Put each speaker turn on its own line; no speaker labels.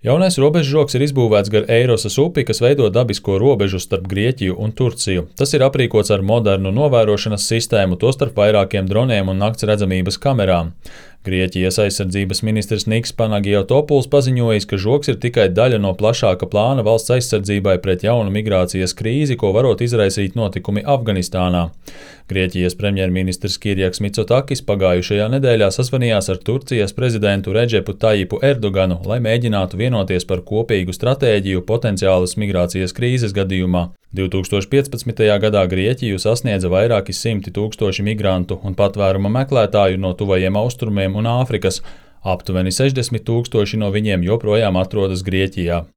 Jaunais robežžogs ir izbūvēts gar Eirosas upi, kas veido dabisko robežu starp Grieķiju un Turciju. Tas ir aprīkots ar modernu novērošanas sistēmu, tostarp vairākiem droniem un naktsredzamības kamerām. Grieķijas aizsardzības ministrs Niks Panagiotopouls paziņojis, ka žogs ir tikai daļa no plašāka plāna valsts aizsardzībai pret jaunu migrācijas krīzi, ko varot izraisīt notikumi Afganistānā. Grieķijas premjerministrs Kirjaks Mitsotakis pagājušajā nedēļā sazvanījās ar Turcijas prezidentu Redžepu Tajipu Erdoganu, lai mēģinātu vienoties par kopīgu stratēģiju potenciālas migrācijas krīzes gadījumā. 2015. gadā Grieķiju sasniedza vairāki simti tūkstoši migrantu un patvēruma meklētāju no tuvajiem austrumiem un Āfrikas. Aptuveni 60 000 no viņiem joprojām atrodas Grieķijā.